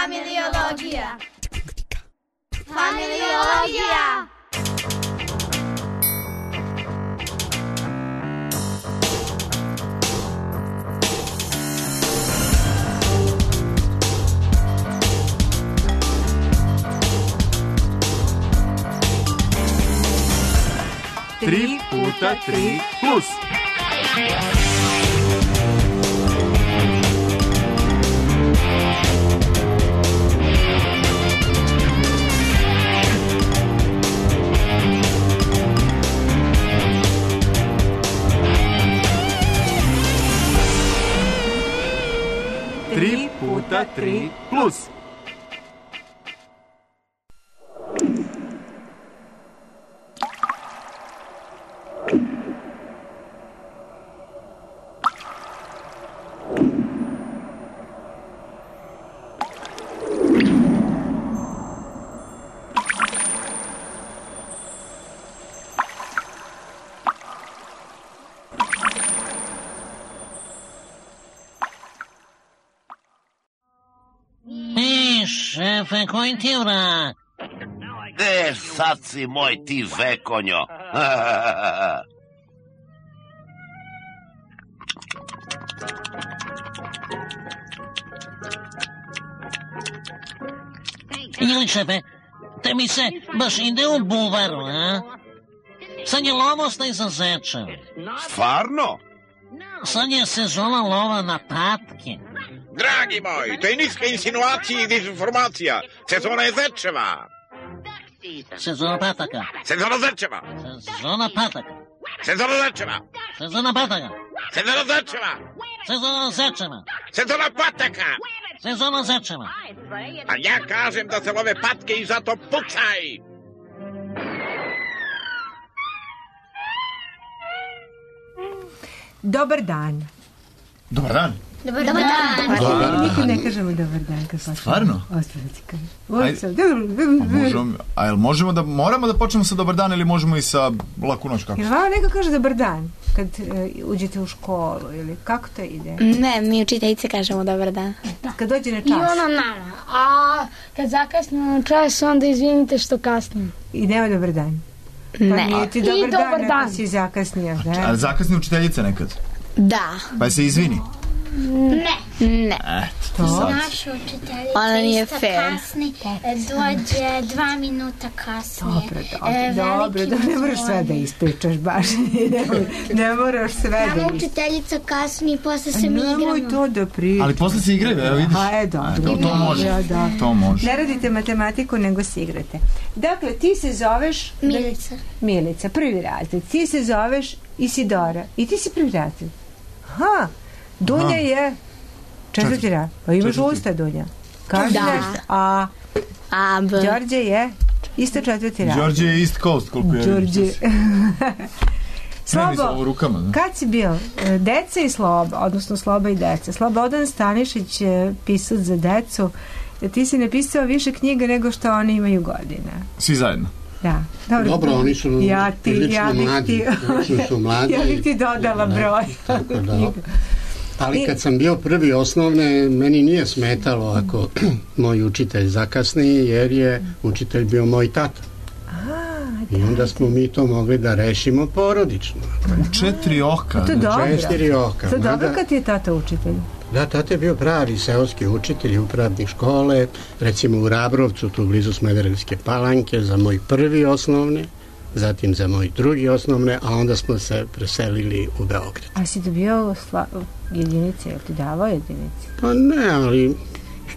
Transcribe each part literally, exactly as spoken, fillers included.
Familiologija. Familiologija. Tri puta tri plus. Tri puta tri plus. Šefe, koji ti vrat? E, sad si moj ti vekonjo. Ili šefe, te mi se baš ide u buvaru, a? Sad je lovostaj za zečev. Stvarno? Sad je sezona lova na patke. Dragi moj, to je niska insinuacija i dezinformacija. Sezona je zečeva. Sezona pataka. Sezona zečeva. Sezona pataka. Sezona zečeva. Sezona pataka. Sezona zečeva. Sezona zečeva. Sezona pataka. Sezona zečeva. A ja kažem da se love patke i zato pucaj. Dobar dan. Dobar dan. Dobar dan. Dobar dan. Nikad ne kažemo dobar dan. Kad stvarno? Ostaviti kažem. Možemo, a jel možemo da, moramo da počnemo sa dobar dan ili možemo i sa laku noć kako? Jer vama neko kaže dobar dan kad uh, uđete u školu ili kako to ide? Ne, mi učiteljice kažemo dobar dan. Kad dođe na čas? I ono nama. A kad zakasnimo na čas, onda izvinite što kasnim. I nema dobar dan? Pa ne. Nije ti dobar, I dan, dobar dan. Ako si zakasnio. Da? A zakasni učiteljica nekad? Da. Pa se izvini? Ne. Ne. Eto, Naša učiteljica ona nije isto fair. kasni, dođe dva minuta kasnije. Dobro, dobro, e, dobro, dobro, ne moraš sve da ispričaš baš, ne, ne moraš sve da ispričaš. Nama učiteljica kasni i posle se mi igramo. Nemoj to da pričaš. Ali posle se igraju, evo vidiš. A, e, dobro. To, to može, ja, da. to može. Ne radite matematiku, nego se igrate. Dakle, ti se zoveš... Milica. Milica, prvi razred. Ti se zoveš Isidora. I ti si prvi razred. Aha, Dunja Aha. je... Četvrti rad. Pa imaš četvrti. Usta, Dunja. Kaži da. nešto. A, A, B. Đorđe je isto četvrti rad. Đorđe je East Coast, koliko je. Đorđe. Slobo, u rukama, da. Kad si bio? Deca i Sloba, odnosno Sloba i deca. Slobodan Stanišić je pisac za decu. Ti si napisao više knjiga nego što oni imaju godina. Svi zajedno. Da. Dobro, Dobro oni su ja ti, prilično ja mlađi. Ti, su mlađi. Ja bih ti dodala da, broj. Tako da. Ali kad sam bio prvi osnovne, meni nije smetalo ako moj učitelj zakasni, jer je učitelj bio moj tata. I onda smo mi to mogli da rešimo porodično. U četiri oka. To je dobro. Četiri oka. To je dobro kad je tata učitelj. Da, tata je bio pravi seoski učitelj, upravnik škole, recimo u Rabrovcu, tu blizu Smederevske Palanke, za moj prvi osnovne, zatim za moj drugi osnovne, a onda smo se preselili u Beograd. A si dobio sla... jedinice, je li ti davao jedinice? Pa ne, ali u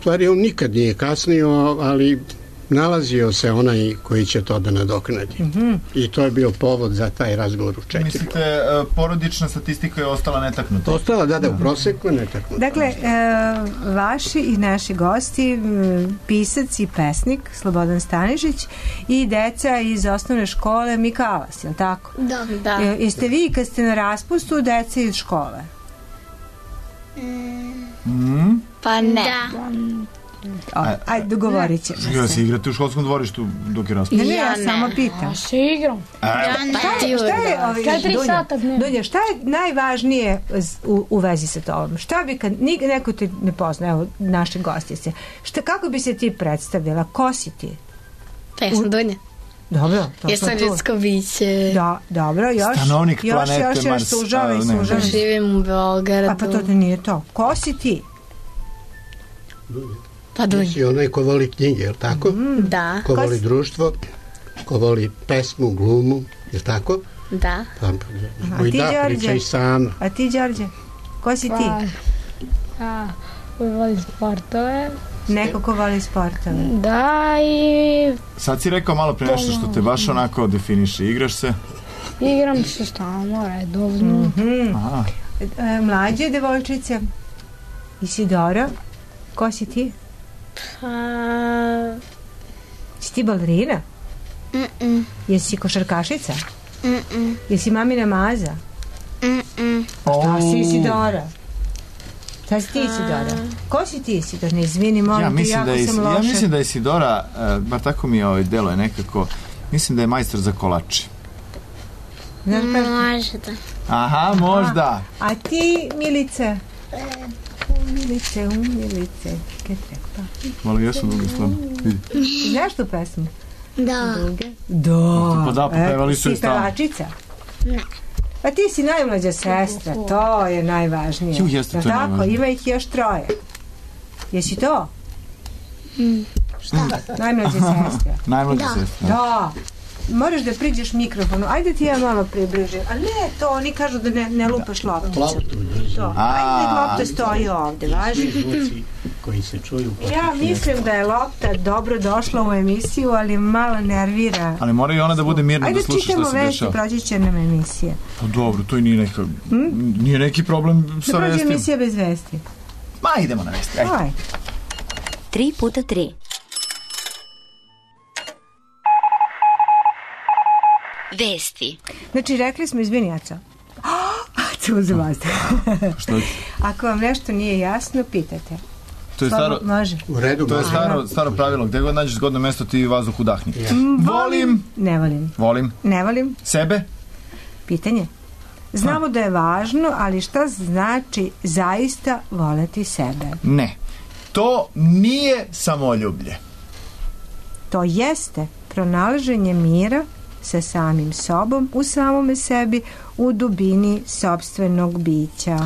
stvari on nikad nije kasnio, ali nalazio se onaj koji će to da nadoknadi. Mm-hmm. I to je bio povod za taj razgovor u četiri. Mislite, porodična statistika je ostala netaknuta? Ostala, da, da, u proseku netaknuta. Dakle, e, vaši i naši gosti, pisac i pesnik Slobodan Stanišić i deca iz osnovne škole Mikalas, je li tako? Da. Da. E, jeste vi, kad ste na raspustu, deca iz škole? Mm. Mm. Pa ne. Da. Ajde, dogovorit ćemo se. Ja se igrate u školskom dvorištu dok je Ne, raspravo. ne, ja samo pitam. Ja se igram. Šta je, šta je, ovaj, Četiri Dunja, sata dnevno. Dunja, šta je najvažnije z- u, u vezi sa tobom? Šta bi kad nik, neko te ne pozna, evo, naše gostice, šta, kako bi se ti predstavila? Ko si ti? Pa ja sam Dunja. Dobro, to Ja smo sam tu. ljudsko biće. Da, dobro, još, Stanovnik još, planete još, još, Mars. sužavaj, A, ne. sužavaj. Živim u Beogradu. A pa to nije to. Ko si ti? Pa Dunja. Si onaj ko voli knjige, je li tako? Da, Ko voli društvo, ko voli pesmu, glumu, je li tako? da. Pa, A i ti, da, Đorđe? pričaj sama. A ti, Đorđe? Ko si ti? Pa, a, volim sportove. Neko ko voli sportove. Da, i Sad si rekao malo pre nešto što te baš onako definiše. Igraš se? igram se stalno, redovno. Aha. E, mlađe devojčice? Isidora? Ko si ti? Pa... Si ti balerina? Mm-mm. Jesi košarkašica? Mm-mm. Jesi mamina maza? Mm-mm. Šta si Isidora? Šta si ti Isidora? Ko si ti Isidora? Ne izvini, molim Ja te, mislim, jako da je, sam ja loša. mislim da je Isidora, uh, bar tako mi ovaj delo je nekako, mislim da je majstor za kolače. Znaš baš- Može da. Aha, možda. A ti, Milice? Umilice, umilice. Kaj treba? Malo jesu duge stvarno. Vidi. Znaš tu pesmu? Da. Da. Pa da, pa pevali su je si stalno. pevačica? Ne. Pa ti si najmlađa sestra, to je najvažnije. Ju, jeste, Jel to je tako? najvažnije. Ima ih još troje. Jesi to? Šta? Najmlađa sestra. Najmlađa sestra. Da. Moraš da priđeš mikrofonu. Ajde ti ja malo približim. A ne, to oni kažu da ne, ne lupaš lopticu. Loptu, To. Ajde, nek lopta stoji ovde, važi. zvuci koji se čuju. Ja mislim da je lopta dobro došla u emisiju, ali malo nervira. Ali mora i ona da bude mirna Ajde da sluša čitamo što se vesti, dešava. proći će nam emisija. Pa dobro, to i nije neka, nije neki problem Da sa prođe vestima. emisija bez vesti. Ma idemo na vesti, ajde. Aj. Tri puta tri. Vesti. Znači, rekli smo, izvini, Aco. Aco, uzem vazduh. Što? Ako vam nešto nije jasno, pitajte. To je staro, Slabo, može. U redu, to je može. staro, staro pravilo, gde god nađeš zgodno mesto ti vazduh udahni. Volim, Ne volim. volim Ne volim. sebe, Pitanje. Znamo da je važno, ali šta znači zaista voleti sebe? ne. To nije samoljublje. To jeste pronalaženje mira sa samim sobom, u samome sebi, u dubini sopstvenog bića.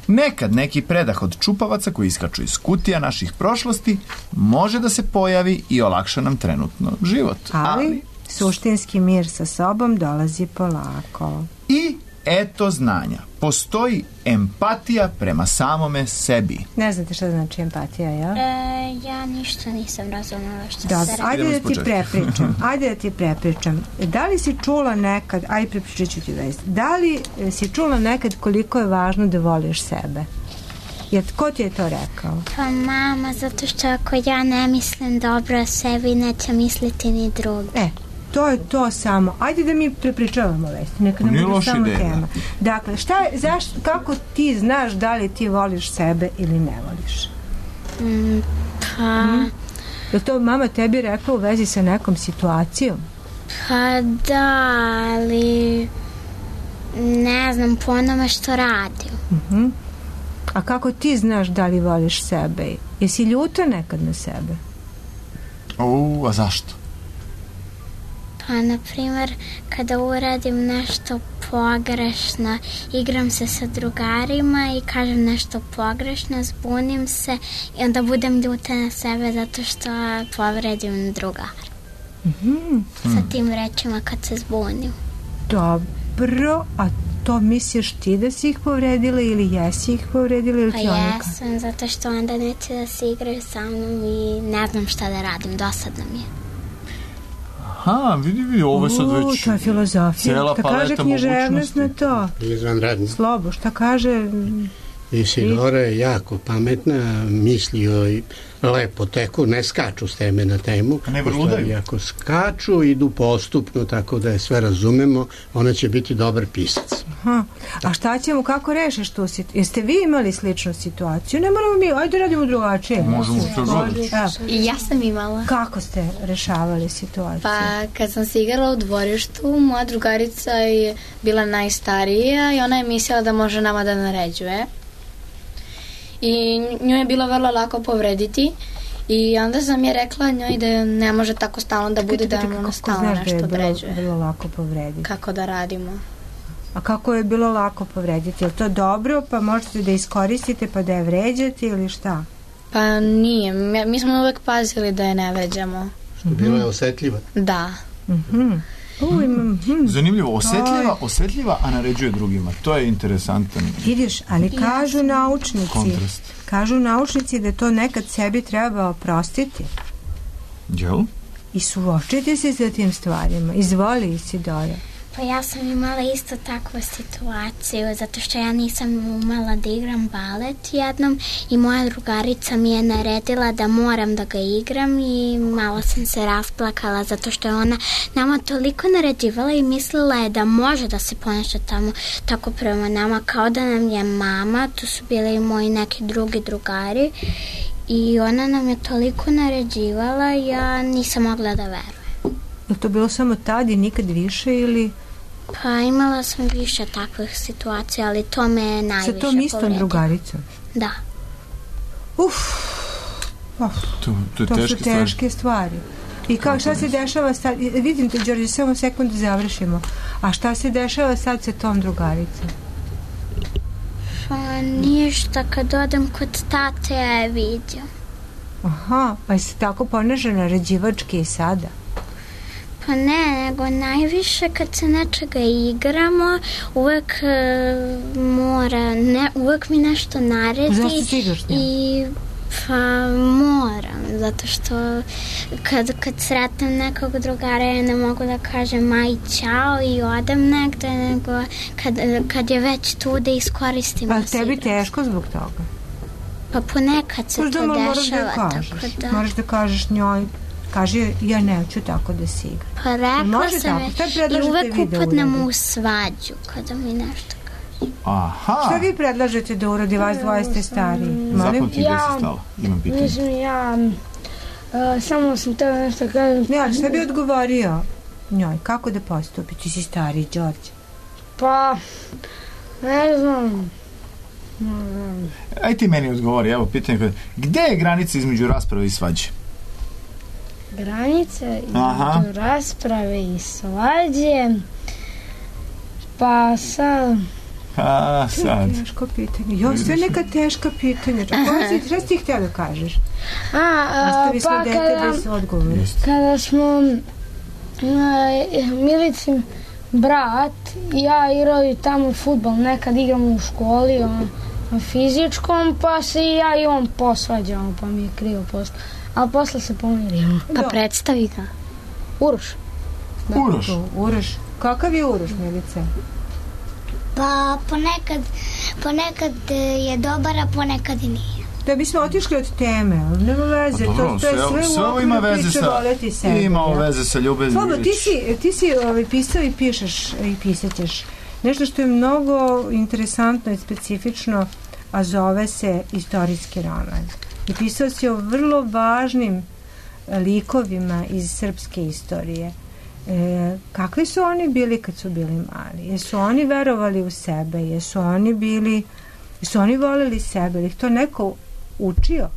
Nekad neki predah od čupavaca koji iskaču iz kutija naših prošlosti može da se pojavi i olakša nam trenutno život. Ali, suštinski mir sa sobom dolazi polako. I eto znanja. Postoji empatija prema samome sebi. Ne znate šta znači empatija, ja? E, ja ništa nisam razumela što Da, se radi. ajde Idemo da iz ti početka. prepričam. Ajde da ti prepričam. Da li si čula nekad, ajde prepričat ću ti vest, da li e, si čula nekad koliko je važno da voliš sebe? Jer ko ti je to rekao? Pa mama, zato što ako ja ne mislim dobro o sebi, neće misliti ni drugi. E, to je to samo. Ajde da mi prepričavamo vesti. Neka nam Nije bude loša samo ideja. tema. Dakle, šta je, zašto, kako ti znaš da li ti voliš sebe ili ne voliš? Mm, pa, Je to mama tebi rekla u vezi sa nekom situacijom? pa da, ali ne znam po onome što radim. Mhm. A kako ti znaš da li voliš sebe? Jesi ljuta nekad na sebe? O, a zašto? Pa, na primjer, kada uradim nešto pogrešno, igram se sa drugarima i kažem nešto pogrešno, zbunim se i onda budem ljuta na sebe zato što povredim drugara. Mhm. Sa tim rečima kad se zbunim. Dobro, a to misliš ti da si ih povredila ili jesi ih povredila ili Pa ti ona? jesam, zato što onda neće da se igraju sa mnom i ne znam šta da radim, dosadno mi je. Aha, vidi, vidi, ovo je sad U, već to je filozofija. cijela Šta kaže paleta književnost mogućnosti. na to? Izvanredno. Slobo, šta kaže Isidora je jako pametna, misli joj lepo teku, ne skaču s teme na temu. Ne vrludaju. Ako skaču, idu postupno, tako da je sve razumemo, ona će biti dobar pisac. Aha. A šta ćemo, kako rešiš tu situaciju? Jeste vi imali sličnu situaciju? Ne moramo mi, ajde radimo drugačije. Možemo što god. I ja sam imala. Kako ste rešavali situaciju? Pa kad sam se igrala u dvorištu, moja drugarica je bila najstarija i ona je mislila da može nama da naređuje. I nju je bilo vrlo lako povrediti i onda sam je rekla njoj da ne može tako stalno da bude, da ona stalno nešto određuje. Kako je bilo lako povrediti? Kako da radimo. A kako je bilo lako povrediti? Je li to dobro, pa možete da iskoristite pa da je vređate ili šta? Pa nije, mi smo uvek pazili da je ne vređamo. Što bila je osetljiva. Da. Mhm. Uh, imam, hm. Zanimljivo, osetljiva, osetljiva, a naređuje drugima. To je interesantan. Vidiš, ali kažu naučnici, kontrast. Kažu naučnici da to nekad sebi treba oprostiti. Jel? I suočiti se sa tim stvarima. Izvoli, Isidora. Pa ja sam imala isto takvu situaciju, zato što ja nisam umela da igram balet jednom i moja drugarica mi je naredila da moram da ga igram i malo sam se rasplakala zato što je ona nama toliko naređivala i mislila je da može da se ponaša tamo tako prema nama kao da nam je mama, tu su bili i moji neki drugi drugari i ona nam je toliko naređivala, ja nisam mogla da verujem. Je to bilo samo tad i nikad više ili... Pa imala sam više takvih situacija, ali to me je najviše povredilo. Sa tom istom drugaricom? Da. Uf, uf. To, to, je to teške su teške stvari. stvari. I kao šta se dešava sad, vidim te, Đorđe, samo sekund da završimo. A šta se dešava sad sa tom drugaricom? Pa ništa, kad odem kod tate, ja je vidim. Aha, pa se tako ponaša naređivački i sada? Pa ne, nego najviše kad se nečega igramo, uvek uh, mora, ne, uvek mi nešto naredi. Zašto si igraš s njom? I pa moram, zato što kad, kad sretnem nekog drugara ja ne mogu da kažem aj čao i odem negde, nego kad, kad je već tu da iskoristim. Pa tebi teško zbog toga? Pa ponekad se Možda to moraš dešava. Da kažeš. Tako da... Moraš da kažeš njoj, kaže ja neću tako da se igram. Pa rekla sam je i uvek upadnemo u svađu kada mi nešto kaže. Aha. Šta vi predlažete da uradi, vas dvoje ste stariji? Zapamti gde si stala, imam pitanje. Mislim, ja uh, samo sam teo nešto kažem. Ne, ali šta bi odgovorio njoj? Kako da postupi? Ti si stariji, Đorđe. Pa, ne znam. Ne znam. Aj ti meni odgovori, evo pitanje. Gde je granica između rasprave i svađe? Granice između rasprave i svađe. Pa sad... A, sad. Teško pitanje. Jo, sve neka teška pitanja. Šta si ti htio da kažeš? A, a pa kada, kada smo Milicin brat i ja igrali tamo fudbal, nekad igramo u školi on, na fizičkom, pa se i ja i on posvađamo, pa mi je krivo posle. Ali posle se pomirimo. Pa predstavi ga. Uroš. Da, Uroš. To, Uroš. Kakav je Uroš, Milice? Pa ponekad, ponekad je dobar, a ponekad i nije. Da bismo otišli od teme, ali nema veze. Pa dobro, to, to je sve, sve u okviru priče voleti sebe. Ima veze sa ljubeznim. Slabo, ti si, ti si ovaj, pisao i pišeš i pisaćeš nešto što je mnogo interesantno i specifično, a zove se istorijski roman. I pisao si o vrlo važnim likovima iz srpske istorije. E, kakvi su oni bili kad su bili mali? Jesu oni verovali u sebe? Jesu oni bili, jesu oni volili sebe? Ili ih to neko učio?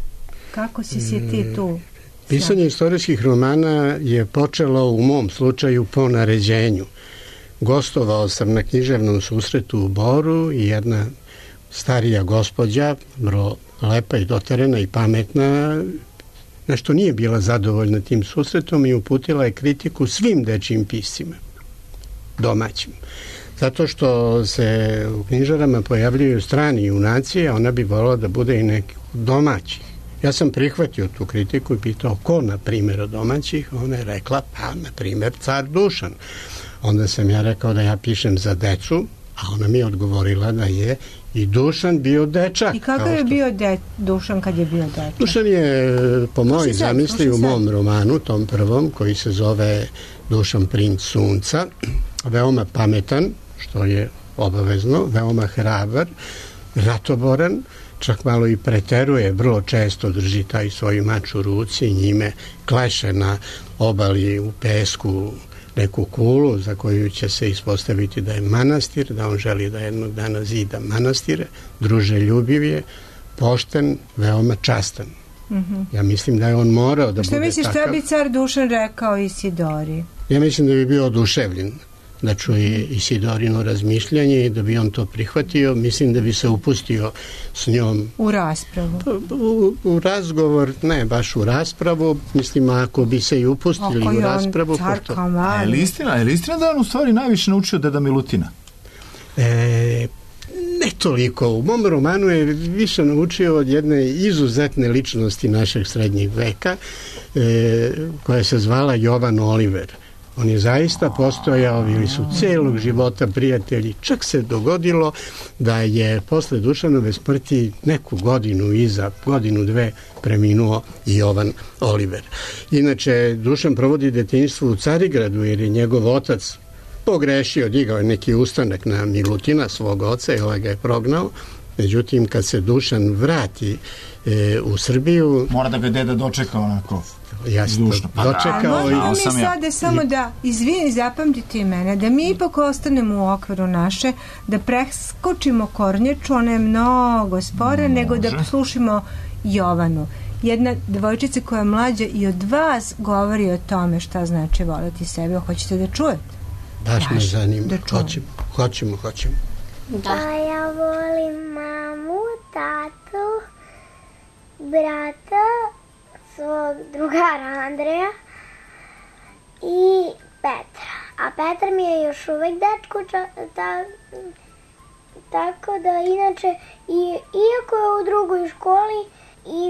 Kako si si ti tu? Pisanje istorijskih romana je počelo u mom slučaju po naređenju. Gostovao sam na književnom susretu u Boru i jedna starija gospođa, vrlo lepa i doterena i pametna, nešto nije bila zadovoljna tim susretom i uputila je kritiku svim dečijim piscima, domaćim. Zato što se u knjižarama pojavljuju strani junaci, a ona bi volila da bude i neki domaći. Ja sam prihvatio tu kritiku i pitao ko, na primjer, od domaćih. Ona je rekla, pa, na primjer, car Dušan. Onda sam ja rekao da ja pišem za decu, A ona mi je odgovorila da je i Dušan bio dečak. I kako je što... bio de... Dušan kad je bio dečak? Dušan je, po mojoj zamisli, u mom romanu, tom prvom, koji se zove Dušan princ sunca, veoma pametan, što je obavezno, veoma hrabar, ratoboran, čak malo i preteruje, vrlo često drži taj svoj mač u ruci i njime kleše na obali u pesku neku kulu za koju će se ispostaviti da je manastir, da on želi da jednog dana zida manastire, druželjubiv je, pošten, veoma častan. Mm-hmm. Ja mislim da je on morao da Što bude misliš, takav. Što misliš, šta bi car Dušan rekao Isidori? Ja mislim da bi bio oduševljen da čuje Isidorino razmišljanje i da bi on to prihvatio. Mislim da bi se upustio s njom u raspravu. U, u razgovor, ne baš u raspravu, mislim ako bi se i upustili Oko u raspravu. Pošto... A je li istina, je li istina da on u stvari najviše naučio deda Milutina? E, ne toliko. U mom romanu je više naučio od jedne izuzetne ličnosti našeg srednjeg veka, e, koja se zvala Jovan Oliver. On je zaista postojao, bili su celog života prijatelji. Čak se dogodilo da je posle Dušanove smrti neku godinu iza, godinu dve, preminuo Jovan Oliver. Inače, Dušan provodi detinjstvo u Carigradu jer je njegov otac pogrešio, digao je neki ustanak na Milutina, svog oca, i ovaj ga je prognao. Međutim, kad se Dušan vrati e, u Srbiju... Mora da ga deda dočeka onako... Jasno, dočekao. A možemo mi sada samo da, izvini, zapamtite i mene, da mi ipak ostanemo u okviru naše, da preskočimo Kornjaču, ona je mnogo spora, Može. nego da slušamo Jovanu. Jedna devojčica koja je mlađa i od vas govori o tome šta znači voleti sebe. Hoćete da čujete? Baš me zanima. Da hoćemo, hoćemo, hoćemo. Da. Pa ja volim mamu, tatu, brata, svog drugara Andreja i Petra. A Petar mi je još uvek dečko, ta, tako da inače, i, iako je u drugoj školi, i,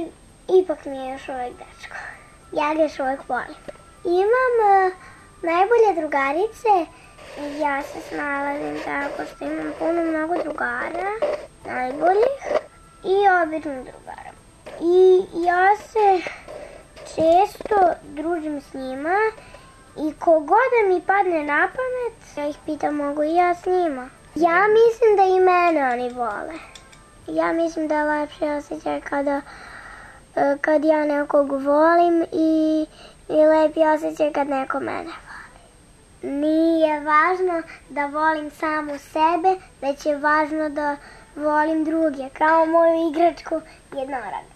ipak mi je još uvek dečko. Ja ga još uvek volim. Imam uh, najbolje drugarice, ja se snalazim tako što imam puno mnogo drugara, najboljih i običnih drugara. I ja se često družim s njima i kogoda mi padne na pamet, ja ih pitam mogu i ja s njima. Ja mislim da i mene oni vole. Ja mislim da je lepši osjećaj kada, kad ja nekog volim i, i lepi osjećaj kad neko mene voli. Nije važno da volim samu sebe, već je važno da volim druge, kao moju igračku jednoroga.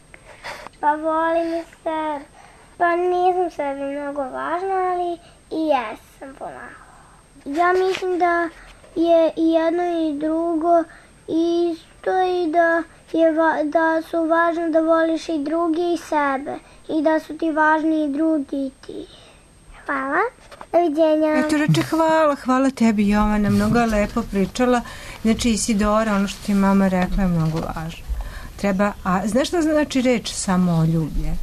Pa volim i sebe. Pa nisam sebi mnogo važna, ali i jesam pomalo. Ja mislim da je i jedno i drugo isto i da, je va, da su važno da voliš i drugi i sebe. I da su ti važni i drugi i ti. Hvala. Doviđenja. Eto reče hvala, hvala tebi Jovana, mnogo je lepo pričala. Znači Isidora, ono što ti mama rekla je mnogo važno. Treba, a znaš šta znači reč samoljublje?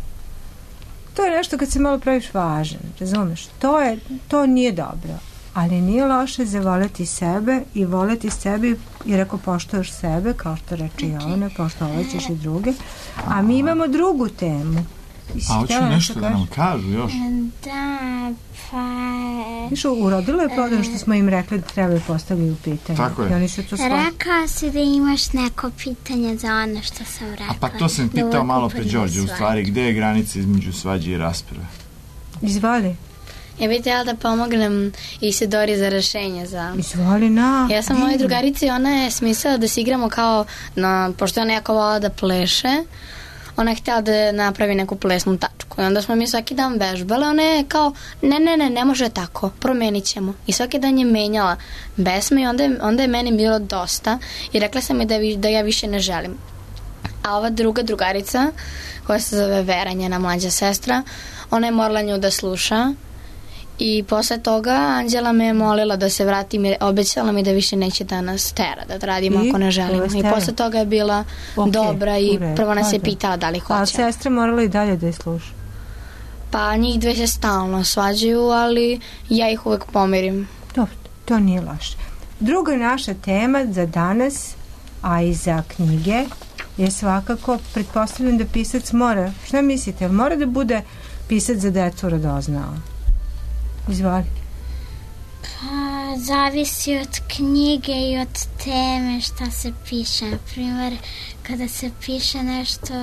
To je nešto kad se malo praviš važan, razumeš? To, je, to nije dobro, ali nije loše zavoleti sebe i voleti sebe, jer ako poštuješ sebe, kao što reče Jovana, poštovaćeš i druge. A mi imamo drugu temu. A hoću nešto da nam kažu još. Da, pa... Viš, urodilo je plodan što smo im rekli da trebaju postaviti u pitanje. Tako je. I oni su to Rekao si da imaš neko pitanje za ono što sam rekla. A pa to sam pitao da malo pre Đorđe, u stvari, gde je granica između svađe i rasprave? Izvoli. Ja bih htjela da pomognem Isidori za rešenje za... Izvoli na... Ja sam mojoj drugarici, ona je smislila da se igramo kao, na, pošto ona jako vola da pleše, ona je htjela da napravi neku plesnu tačku i onda smo mi svaki dan vežbale, ona je kao ne, ne, ne, ne može tako, promenit ćemo i svaki dan je menjala besme i onda je, onda je meni bilo dosta i rekla sam mi da, da ja više ne želim. A ova druga drugarica koja se zove Vera, njena mlađa sestra, ona je morala nju da sluša i posle toga Anđela me je molila da se vratim i obećala mi da više neće da nas tera, da radimo I, ako ne želimo. I posle toga je bila okay, dobra i prvo nas je pitala da li hoće. A sestra morala i dalje da je sluša? Pa njih dve se stalno svađaju, ali ja ih uvek pomirim. Dobro, to nije loše. druga naša tema za danas, a i za knjige, je svakako, pretpostavljam da pisac mora, šta mislite, mora da bude pisac za decu radoznao? Izvoli. Pa, zavisi od knjige i od teme šta se piše. Na primjer, kada se piše nešto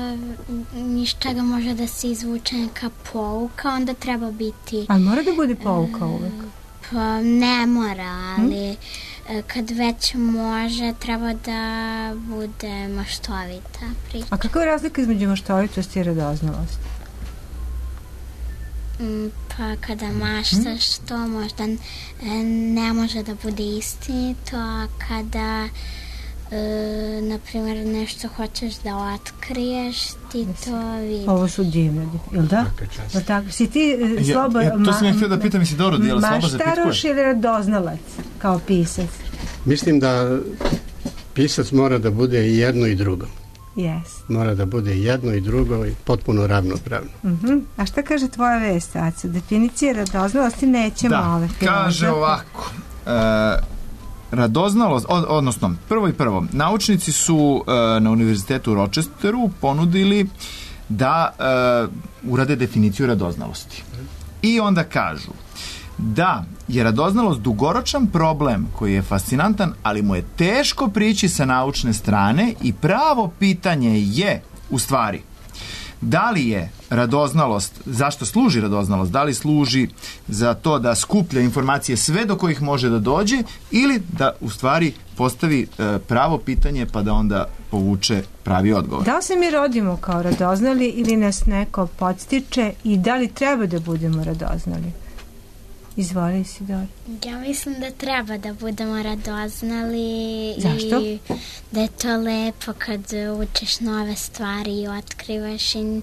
iz čega može da se izvuče neka pouka, onda treba biti... Ali mora da bude pouka uvek? Pa, ne mora, ali hmm? kad već može, treba da bude maštovita priča. A kakva je razlika između maštovitosti i radoznalosti? Pa kada maštaš to možda ne može da bude istinito, a kada e, na primjer nešto hoćeš da otkriješ, ti to vidiš. Ovo su divne, jel da? Jel tako? Si ti Slobo... Ja, ja, to sam ja htio da pitam, si dobro, je li Slobo zapitkuje? Maštaroš ili radoznalac kao pisac? Mislim da pisac mora da bude i jedno i drugo. Yes. Mora da bude jedno i drugo i potpuno ravnopravno. Uh-huh. A šta kaže tvoja vest, Aco? Definicija radoznalosti nećemo da, ove. Da, kaže ovako. E, radoznalost, od, odnosno, prvo i prvo, naučnici su e, na univerzitetu u Rochesteru ponudili da e, urade definiciju radoznalosti. I onda kažu da je radoznalost dugoročan problem koji je fascinantan, ali mu je teško prići sa naučne strane i pravo pitanje je, u stvari, da li je radoznalost, zašto služi radoznalost, da li služi za to da skuplja informacije sve do kojih može da dođe ili da u stvari postavi e, pravo pitanje pa da onda povuče pravi odgovor. Da li se mi rodimo kao radoznali ili nas neko podstiče i da li treba da budemo radoznali? Izvoli, Isidora. Ja mislim da treba da budemo radoznali. Zašto? I da je to lepo kad učiš nove stvari i otkrivaš i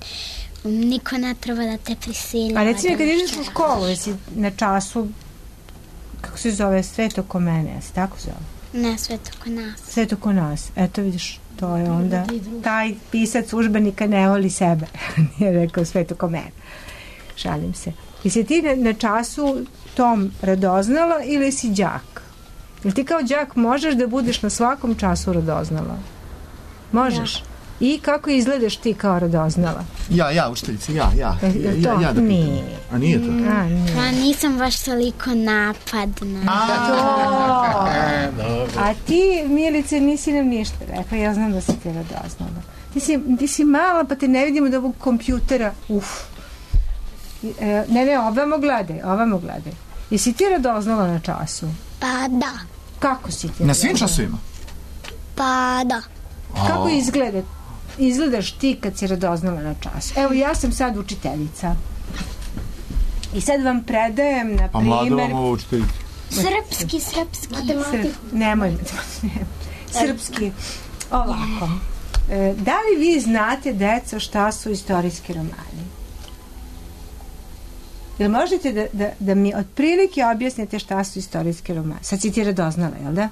niko ne treba da te prisiljava. A recimo kad ideš u školu, jesi na času, kako se zove, Sveto ko mene, jesi tako zove? Ne, Sveto ko nas. Sveto ko nas, eto vidiš, to je onda, taj pisac užbenika ne voli sebe, nije rekao Sveto ko mene. Šalim se. Jesi ti na, na času tom radoznala ili si đak? Ili ti kao đak možeš da budeš na svakom času radoznala? Možeš? Ja. I kako izgledaš ti kao radoznala? Ja, ja, učiteljica, ja, ja. ja, ja, ja da nije. A nije to? Mm. A, nije. Pa nisam baš toliko napadna. A, to! A ti, Milice, nisi nam ništa rekla. Ja znam da si ti radoznala. Ti si, ti si mala, pa te ne vidimo od ovog kompjutera. Uf. Ne, ne, ovamo gledaj, ovamo gledaj. Jesi ti radoznala na času? Pa da. Kako si ti? Na svim časovima? Pa da. Kako izgleda, izgledaš ti kad si radoznala na času? Evo, ja sam sad učiteljica. I sad vam predajem, na pa primjer... mlada vam ovo učiteljica. Srpski, srpski. Matematiku. Nemoj, srpski. Ovako. E, da li vi znate, deco, šta su istorijski romani? Jel možete da, da, da mi otprilike objasnite šta su istorijski romani? Sad si ti radoznala, jel da?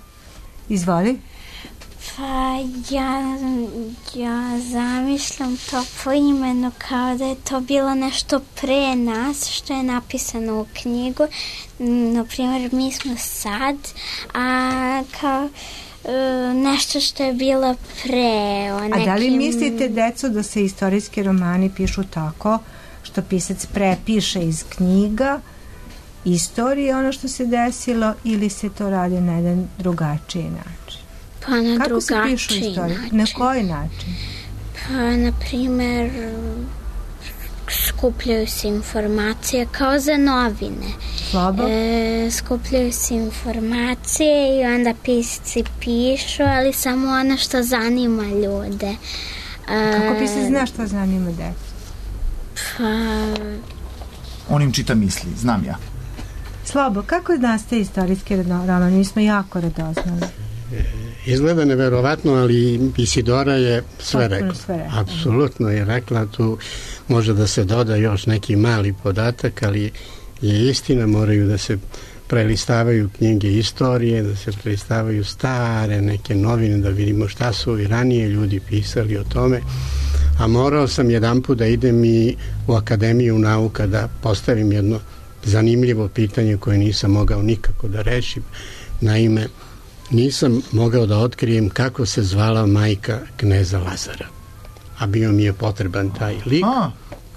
Izvoli. Pa ja, ja zamišljam to po imenu kao da je to bilo nešto pre nas što je napisano u knjigu. Na primjer, mi smo sad, a kao nešto što je bilo pre. O nekim... A da li mislite, deco, da se istorijski romani pišu tako što pisac prepiše iz knjiga istorije ono što se desilo ili se to radi na jedan drugačiji način? Pa na kako drugačiji se pišu istorije? način. Na koji način? Pa, na primjer, skupljaju se informacije kao za novine. Slobo? E, skupljaju se informacije i onda pisci pišu, ali samo ono što zanima ljude. E, Kako pisac zna što zanima decu? Pa... On im čita misli, znam ja. Slobo, kako nastaje istorijski roman? Mi smo jako radoznali. Izgleda neverovatno, ali Isidora je sve rekla. rekla. Apsolutno je rekla, tu može da se doda još neki mali podatak, ali je istina, moraju da se prelistavaju knjige istorije, da se prelistavaju stare neke novine, da vidimo šta su i ranije ljudi pisali o tome. A morao sam jedan put da idem i u Akademiju nauka da postavim jedno zanimljivo pitanje koje nisam mogao nikako da rešim. Naime, nisam mogao da otkrijem kako se zvala majka kneza Lazara. A bio mi je potreban taj lik. A.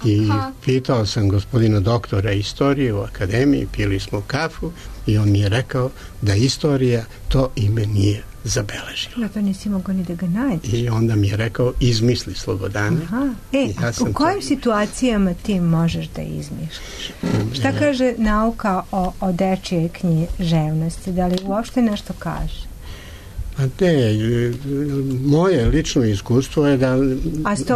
I pitao sam gospodina doktora istorije u akademiji, pili smo kafu i on mi je rekao da istorija to ime nije zabeležila. Ja to nisi mogao ni da ga nađeš. I onda mi je rekao, izmisli Slobodane. Aha. E, ja u kojim to... situacijama ti možeš da izmišljaš? Šta kaže nauka o, o dečijoj književnosti? Da li uopšte nešto kaže? A ne, moje lično iskustvo je da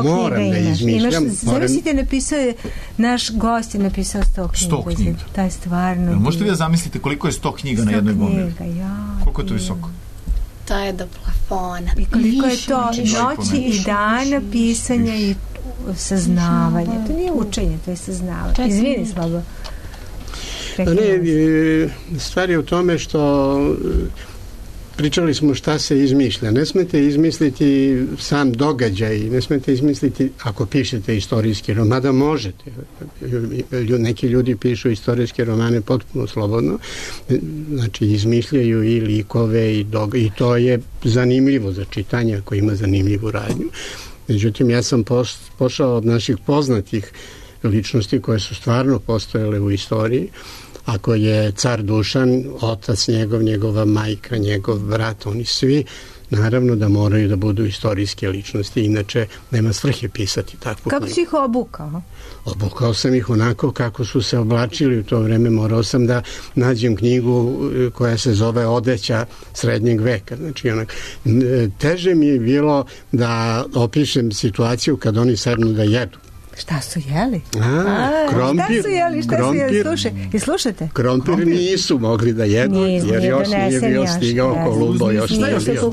moram da izmišljam. Zavisite, napisao je, naš gost je napisao sto knjiga. sto knjiga. To je stvarno... Možete vi da zamislite koliko je sto knjiga na jednoj bombi? Ja, koliko je to visoko? To je do plafona. I koliko je to noći i dana pisanja i saznavanja. To nije učenje, to je saznavanje. Izvini, Slabo. Ne, stvar je u tome što pričali smo šta se izmišlja. Ne smete izmisliti sam događaj, ne smete izmisliti ako pišete istorijski roman, mada možete. Neki ljudi pišu istorijske romane potpuno slobodno. Znači, izmišljaju i likove i, doga- i to je zanimljivo za čitanje ako ima zanimljivu radnju. Međutim, ja sam pošao od naših poznatih ličnosti koje su stvarno postojale u istoriji. Ako je car Dušan, otac njegov, njegova majka, njegov brat, oni svi, naravno da moraju da budu istorijske ličnosti, inače nema svrhe pisati takvu Kako knjigu. si ih obukao? Obukao sam ih onako kako su se oblačili u to vreme. Morao sam da nađem knjigu koja se zove Odeća srednjeg veka. Znači, onak, teže mi je bilo da opišem situaciju kad oni sednu da jedu. Šta su jeli? A, A, krompir, šta su jeli? Šta krompir, su jeli? Slušaj, i slušate? Krompir, krompir nisu mogli da jedu, Nis, jer još nije bio stigao Kolumbo, još nije bio stižao.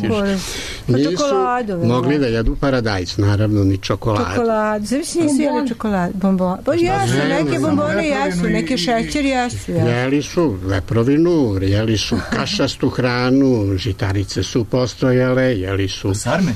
Nisu mogli da jedu paradajz, naravno, ni čokoladu. Čokoladu, znači nisu jeli čokoladu, bombon. Pa jesu, neke bombone jesu, neke šećer jesu. Jeli su leprovinu, jeli su kašastu hranu, žitarice su postojale, jeli su... Sarme?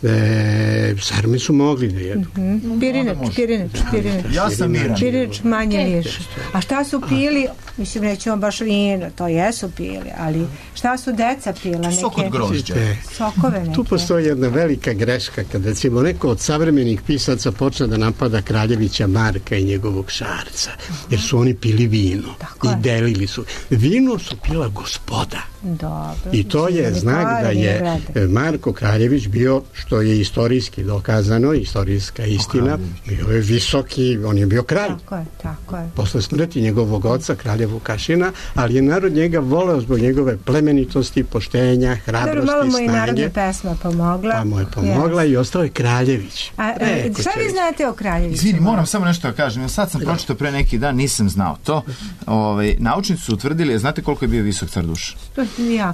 E, sarme su mogli da jedu. Mm-hmm. Pirinač, pirinač, pirinač. Ja sam miran. Pirinač manje više. A šta su pili? Mislim, nećemo baš vino, to jesu pili, ali šta su deca pila? Neke... Sok od grožđa. Sokove neke. Tu postoji jedna velika greška, kada recimo neko od savremenih pisaca počne da napada Kraljevića Marka i njegovog Šarca, jer su oni pili vino. Tako i je. Delili su. Vino su pila gospoda. Dobro. I to je znak da je Marko Kraljević bio, što je istorijski dokazano, istorijska istina, bio je visoki, on je bio kralj. Tako je, tako je. Posle smrti njegovog oca, kralja Vukašina, ali je narod njega voleo zbog njegove plemenitosti, poštenja, hrabrosti, Dobro, malo mu snage. i narodna pesma pomogla. Pa mu je pomogla yes. i ostao je Kraljević. A, a šta vi znate o Kraljeviću? Izvini, moram samo nešto da kažem. Sad sam pročitao pre neki dan, nisam znao to. Ove, naučnici su utvrdili, znate koliko je bio visok car Dušan?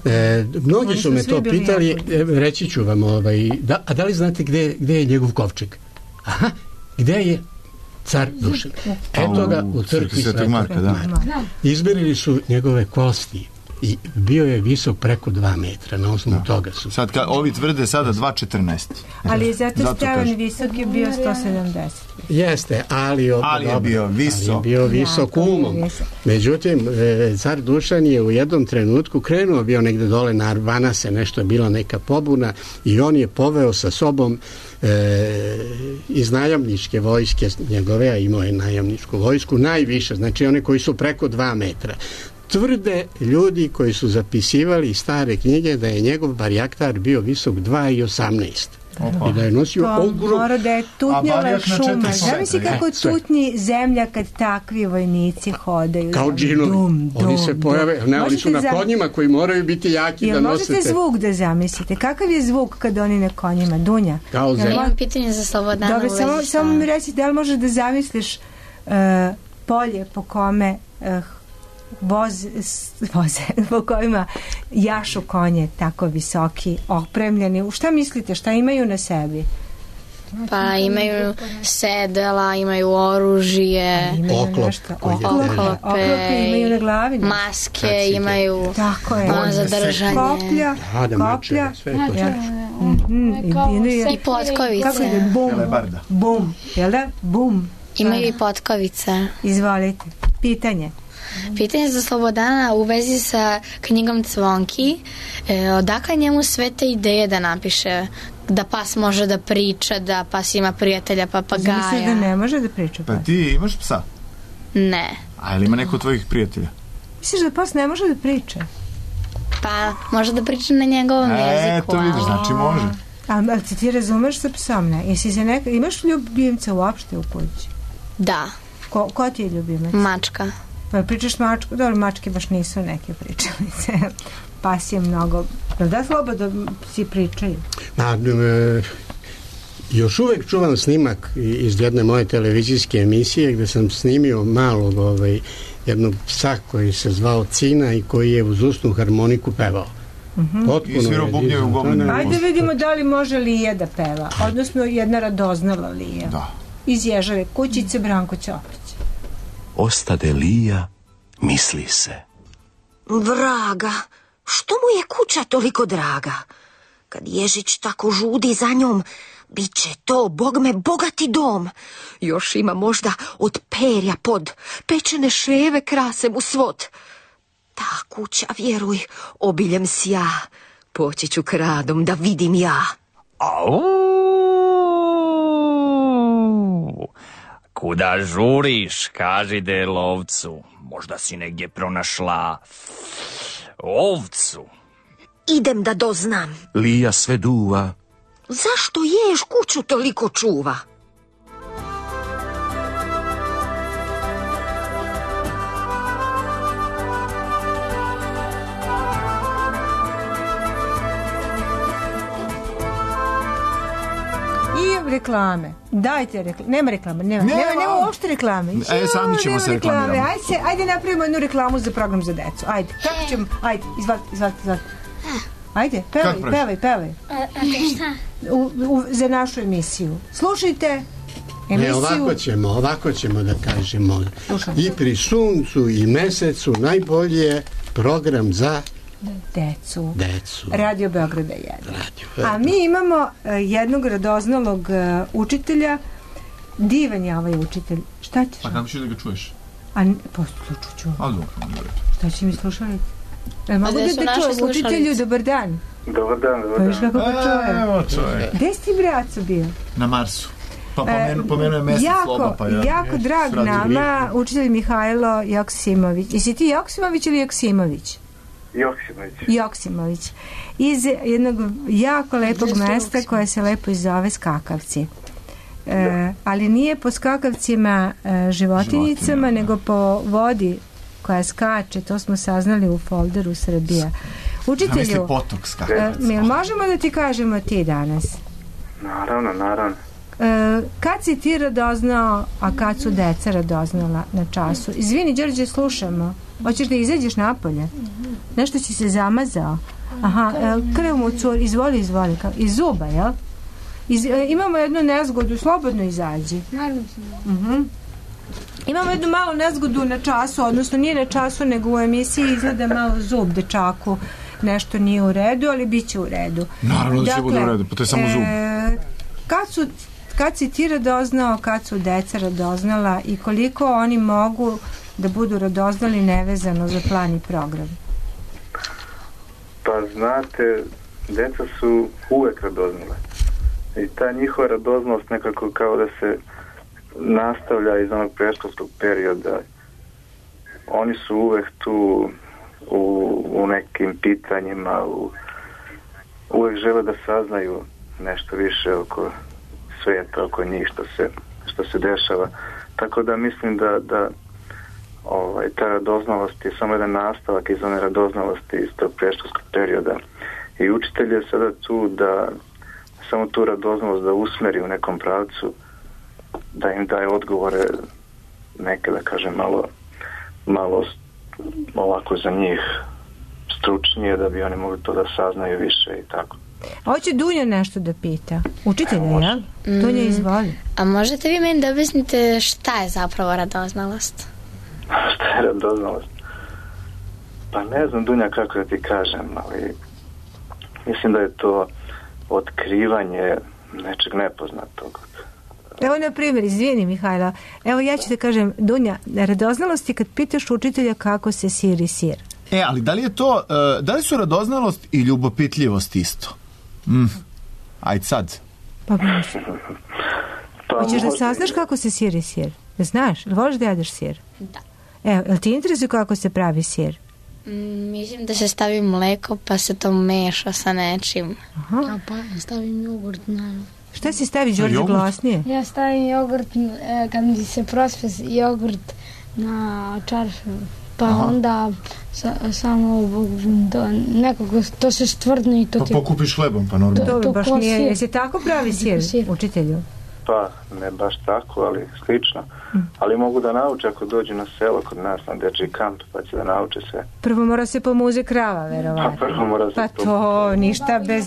E, mnogi su me to pitali, e, reći ću vam, ovaj, da, a da li znate gde, gde je njegov kovčeg? Aha, gde je car Dušan? Eto ga u crkvi Svetog Marka. Da. Izmerili su njegove kosti i bio je visok preko dva metra, na osnovu da. toga su. Sad, ka, ovi tvrde sada dva četrnaest. Ali zato, zato Stevan visok je bio sto sedamdeset. Jeste, ali, ob, ali je dobro, bio visok. Ali je bio visok ja, umom. Međutim, e, car Dušan je u jednom trenutku krenuo, bio negde dole na Arvanase, nešto je bila neka pobuna i on je poveo sa sobom e, iz najamničke vojske njegove, a imao je najamničku vojsku, najviše, znači one koji su preko dva metra. Tvrde ljudi koji su zapisivali stare knjige da je njegov barjaktar bio visok dva i osamnaest. Opa. I da je nosio ogrom... Mora da je tutnjala šuma. Zamisli kako je tutnji zemlja kad takvi vojnici hodaju. Kao džinovi. Dum, dum, oni se pojave, ne, oni su na konjima koji moraju biti jaki Jel da nosite. Možete zvuk da zamislite. Kakav je zvuk kad oni na konjima? Dunja? Kao zemlja. Imam pitanje za Slobodana. Dobro, samo, samo mi recite, da li možeš da zamisliš uh, polje po kome uh, voz, voze, po kojima jašu konje tako visoki, opremljeni. Šta mislite, šta imaju na sebi? Pa imaju sedela, imaju oružje, oklop, oklope, oklope imaju na glavi, maske, Tacite. imaju tako je, za držanje, koplja, koplja, i potkovice. Kako je? Bum, bum, jel da? Bum. Imaju i potkovice. Izvolite, pitanje. Pitanje za Slobodana u vezi sa knjigom Cvonki. E, odakle njemu sve te ideje da napiše da pas može da priča, da pas ima prijatelja papagaja? Misliš da ne može da priča pas? Pa ti imaš psa? Ne. A ili ima neko od tvojih prijatelja? Misliš da pas ne može da priča? Pa može da priča na njegovom e, jeziku. E, to vidiš, znači može. A, ali ti ti razumeš sa psom, ne? Jesi se neka, imaš ljubimca uopšte u kući? Da. Ko, ko ti je ljubimac? Mačka. Pa pričaš mačku? Dobro, mačke baš nisu neke pričalice. Pas je mnogo... Da, slobodno si pričaju. Na, e, još uvek čuvam snimak iz jedne moje televizijske emisije gde sam snimio malog ovaj, jednog psa koji se zvao Cina i koji je uz usnu harmoniku pevao. Uh-huh. I svirao bubnjeve u gomenu. Ajde vidimo da li može Lija da peva, odnosno jedna radoznala Lija. Da. Iz Ježave kućice Branko Ćopić. Ostade Lija, misli se. Vraga, što mu je kuća toliko draga? Kad Ježić tako žudi za njom, bit će to, bog me, bogati dom. Još ima možda od perja pod, pečene ševe krase mu svod. Ta kuća, vjeruj, obiljem sja, poći ću kradom da vidim ja. Au! Kuda žuriš, kaži de lovcu, možda si negdje pronašla ovcu. Idem da doznam. Lija sve duva. Zašto ješ kuću toliko čuva? I reklame. Dajte reklame. Nema reklame. Nema, nema, nema, nema uopšte reklame. E, sami ćemo se reklamirati. Ajde, se, ajde napravimo jednu reklamu za program za decu. Ajde, kako ćemo? Ajde, izvalite, izvalite, izvalite. Ajde, pevaj, pevaj, pevaj. A, a te šta? U, u, za našu emisiju. Slušajte emisiju. Ne, ovako ćemo, ovako ćemo da kažemo. I pri suncu i mesecu najbolje program za decu. Decu. Radio Beograda jedan. A mi imamo uh, jednog radoznalog uh, učitelja. Divan je ovaj učitelj. Šta ćeš? Pa kako ćeš da ga čuješ? A poslušat ću. A dobro. Šta će mi slušati? E, mogu da da čujem učitelju, dobar dan. Dobar dan, dobar dan. Pa viš kako ga čuje? Evo čovjek. Gde si braco bio? Na Marsu. Pa pomenu, pomenu je mesec jako, sloba, pa ja. Jako je, drag nama, učitelj Mihajlo Joksimović. Jesi ti Joksimović ili Joksimović? Joksimović. Joksimović. Iz jednog jako lepog mesta koje se lepo zove Skakavci. E, ali nije po skakavcima e, životinjicama, Životinja. nego po vodi koja skače, to smo saznali u folderu Srbija. Učitelju, potok e, mi možemo da ti kažemo ti danas? Naravno, naravno. E, kad si ti radoznao, a kad su deca radoznala na času? Izvini, Đorđe, slušamo. Hoćeš da izađeš napolje? Nešto si se zamazao? Aha, e, krv mu cur, izvoli, izvoli. Iz zuba, jel? Iz, e, imamo jednu nezgodu, slobodno izađi. Naravno. Uh-huh. Imamo jednu malu nezgodu na času, odnosno nije na času, nego u emisiji izgleda malo zub dečaku. Nešto nije u redu, ali bit će u redu. Naravno da će bude u redu, pa to je samo zub. E, kad, su, kad si ti radoznao, kad su deca radoznala i koliko oni mogu da budu radoznali nevezano za plan i program? Pa znate, deca su uvek radoznale. I ta njihova radoznalost nekako kao da se nastavlja iz onog predškolskog perioda. Oni su uvek tu u, u nekim pitanjima, u, uvek žele da saznaju nešto više oko sveta, oko njih, što se, što se dešava. Tako da mislim da, da ovaj, ta radoznalost je samo jedan nastavak iz one radoznalosti iz tog predškolskog perioda. I učitelj je sada tu da samo tu radoznalost da usmeri u nekom pravcu, da im daje odgovore neke, da kažem, malo malo ovako za njih stručnije, da bi oni mogli to da saznaju više i tako. Hoće Dunja nešto da pita. Učitelja, ja? Mm. Dunja, izvoli. A možete vi meni da objasnite šta je zapravo radoznalost? Šta je radoznalost? Pa ne znam, Dunja, kako da ti kažem, ali mislim da je to otkrivanje nečeg nepoznatog. Evo, na primjer, izvini Mihajla, evo ja ću da kažem, Dunja, radoznalost je kad pitaš učitelja kako se siri sir. E, ali da li je to, uh, da li su radoznalost i ljubopitljivost isto? Mm. Ajde sad. Pa mislim. Hoćeš da saznaš kako se siri sir? Znaš, ili voliš da jedeš sir? Da. Evo, jel ti interesuje kako se pravi sir? Mm, mislim da se stavi mleko pa se to meša sa nečim. Aha. A pa stavim jogurt, naravno. Šta si stavi, Đorđe, glasnije? Ja stavim jogurt, e, kad mi se prospe jogurt na čaršu, pa Aha. onda sa, samo do, nekako to se stvrdne i to pa ti... Pa pokupiš hlebom, pa normalno. To, to baš nije, jesi tako pravi sir, sir, učitelju? Pa, ne baš tako, ali slično. Mm. Ali mogu da nauče ako dođu na selo kod nas na dečji kamp, pa će da nauče sve. Prvo mora se pomuze krava, verovatno. Pa prvo mora se Pa to, ništa bez...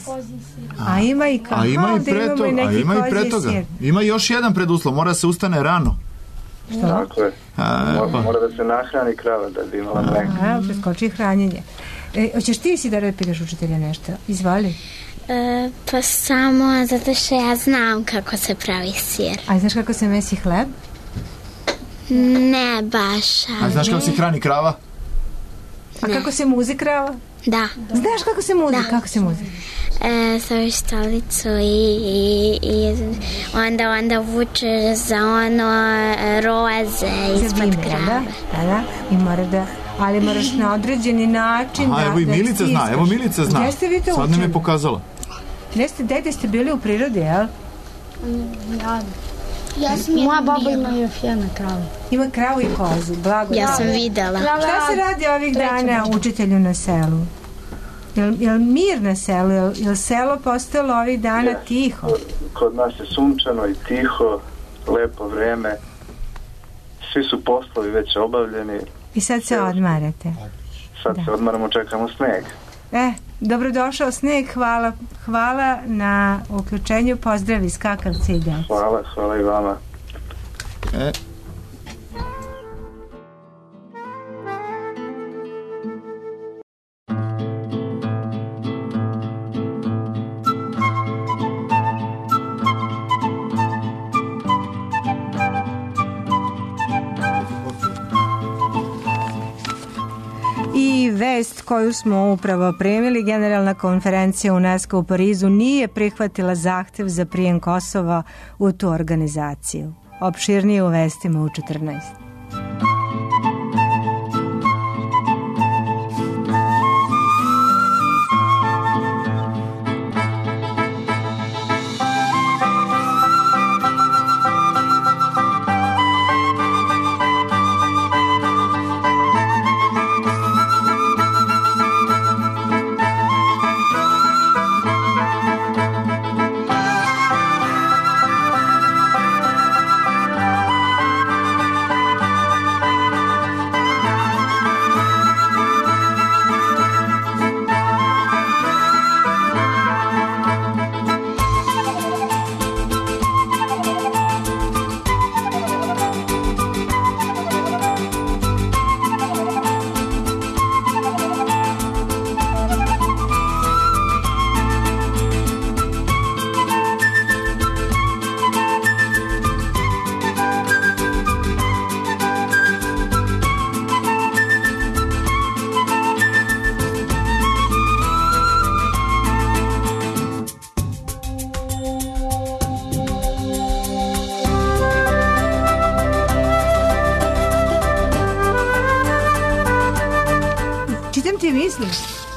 A ima i kao, a ima i pre toga, a ima i pre toga. Ima još jedan preduslov, mora se ustane rano. Što? Tako je. A, mora, mora da se nahrani krava da bi imala mleka. A, preskoči hranjenje. E, hoćeš ti si da repitaš učitelja nešto? Izvoli. E, pa samo zato što ja znam kako se pravi sir. A znaš kako se mesi hleb? Ne baš. A znaš kako se hrani krava? A ne. Kako se muzi krava? Da. Znaš kako se muzi? Da. Kako se muzi? E, staviš stolicu i, i, i onda, onda vučeš za ono roze ispod krave. Da, da, da. I mora da... Ali moraš na određeni način. Aha, da, evo i Milica zna, evo Milica zna. Gdje ste vi to učili? Sad nam je pokazala. Gdje ste, dajte ste bili u prirodi, jel? Ja, ja sam moja baba ima još jedna krava. Ima kravu i kozu, blago. Ja sam videla. Šta se radi ovih dana učitelju na selu? Jel, jel mir na selu? Jel, jel selo postalo ovih dana je, tiho? Kod, kod nas je sunčano i tiho, lepo vreme. Svi su poslovi već obavljeni. I sad se odmarate. Sad da. se odmaramo, čekamo sneg. E, dobrodošao sneg, hvala, hvala na uključenju, pozdravi skakavce i deci. Hvala, hvala i vama. E. I vest koju smo upravo primili, Generalna konferencija UNESCO u Parizu nije prihvatila zahtev za prijem Kosova u tu organizaciju. Opširnije u vestima u četrnaest.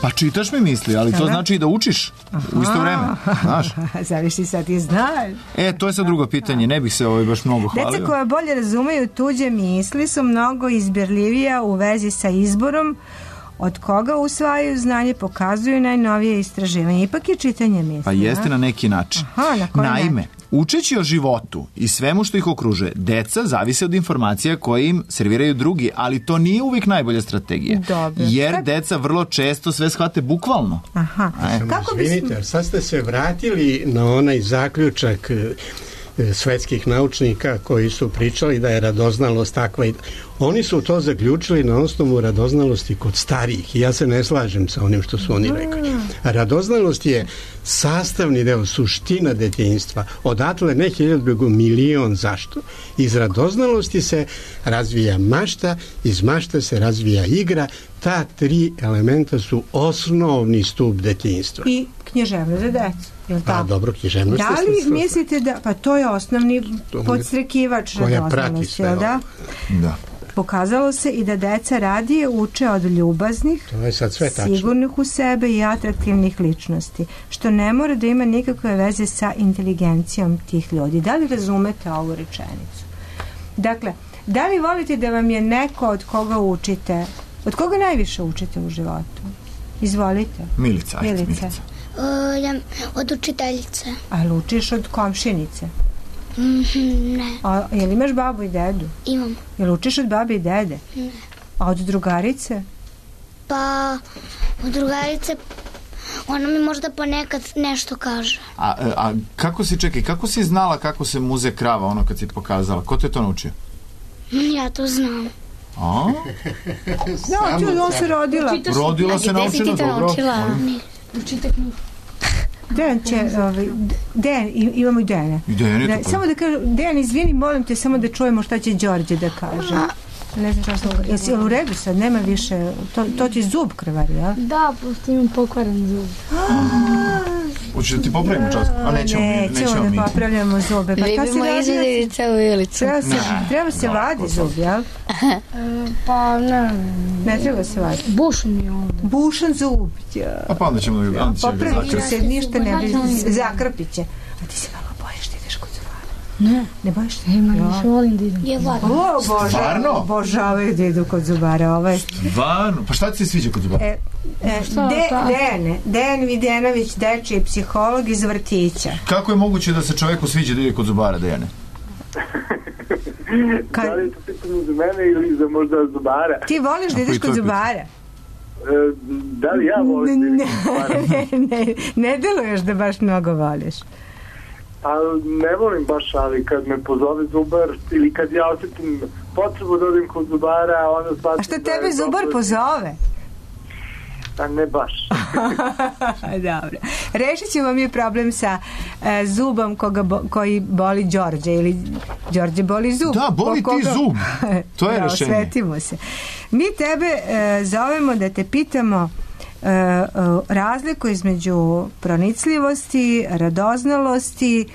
Pa čitaš mi misli, ali to Aha. znači i da učiš Aha. u isto vreme, znaš. Zavisi sad ti znaš. E, to je sad drugo pitanje, ne bih se ovaj baš mnogo hvalio. Deca koja bolje razumeju tuđe misli su mnogo izbirljivija u vezi sa izborom od koga usvajaju znanje, pokazuju najnovije istraživanje. Ipak je čitanje misli. Pa jeste na neki način. Aha, na koji Naime, način? učeći o životu i svemu što ih okružuje, deca zavise od informacija koje im serviraju drugi, ali to nije uvijek najbolja strategija. Dobro. Jer Kako? deca vrlo često sve shvate bukvalno. Aha. Kako Izvinite, bismo... sad ste se vratili na onaj zaključak svetskih naučnika koji su pričali da je radoznalost takva. Oni su to zaključili na osnovu radoznalosti kod starijih i ja se ne slažem sa onim što su oni rekli. Radoznalost je sastavni deo, suština detinjstva. Odatle ne hiljadu, nego milion. Zašto? Iz radoznalosti se razvija mašta, iz mašta se razvija igra. Ta tri elementa su osnovni stup detinjstva. I književnost za decu. Jel pa dobro, književnost. Da li mislite da, pa to je osnovni podstrekivač radoznalosti, jel da? Da. Pokazalo se i da deca radije uče od ljubaznih, to je sad sve sigurnih u sebe i atraktivnih ličnosti, što ne mora da ima nikakve veze sa inteligencijom tih ljudi. Da li razumete ovu rečenicu? Dakle, da li volite da vam je neko od koga učite, od koga najviše učite u životu? Izvolite. Milica, ajde, Milica. Milica. Uh, od učiteljice. A li učiš od komšinice? Mm, ne. A jel imaš babu i dedu? Imam. Jel učiš od babe i dede? Ne. A od drugarice? Pa od drugarice ona mi možda ponekad nešto kaže. A, a kako si, čekaj, kako si znala kako se muze krava, ono kad si pokazala? Ko te to naučio? Ja to znam. A? No, ti on se rodila. Rodila se naučila, dobro. Učite knjigu. Dejan će, ovaj, Dejan, imamo i Dejana. I Dejan je da, to. Samo da kažem, Dejan, izvini, molim te, samo da čujemo šta će Đorđe da kaže. Ne znam šta sam... Jesi u redu sad, nema više... To, to ti zub krvari, ja? Da, pošto imam pokvaren zub. Hoćeš da ti popravimo čas? A nećemo, nećemo, nećemo da popravljamo zube. Pa Vidimo izvedice u Ilicu. Treba se, treba se vadi zub, jel? Pa ne. Ne treba se vadi. Bušan mi je ovdje. Bušan zub. Ja. A pa onda ćemo da ga zakrpiti. Popravit ću se, ništa ne bi... Zakrpit će. A ti se malo bojiš da ideš kod zubara? Ne. Ne bojiš se? Ne, ma ne volim da idem. Je volim. O, Bože. Stvarno? Obožavaju da idu kod zubara. Ovaj. Stvarno? Pa šta ti se sviđa kod zubara? E, e, De, Dejane, Dejan Videnović, dečiji psiholog iz vrtića. Kako je moguće da se čoveku sviđa da ide kod zubara, Dejane? Kad... Da li je to pitanje za mene ili za možda zubara? Ti voliš da ideš kod zubara? E, da li ja volim da idem kod zubara? Ne, ne, ne deluješ da baš mnogo voliš. Pa ne volim baš, ali kad me pozove zubar ili kad ja osjetim potrebu da odim kod zubara, onda shvatim... A što tebe zubar pozove? A ne baš. Dobro. Rešit ćemo mi problem sa e, zubom koga bo, koji boli Đorđe ili Đorđe boli zub. Da, boli koga... ti zub. To je da, rešenje. Osvetimo se. Mi tebe e, zovemo da te pitamo e, e, razliku između pronicljivosti, radoznalosti,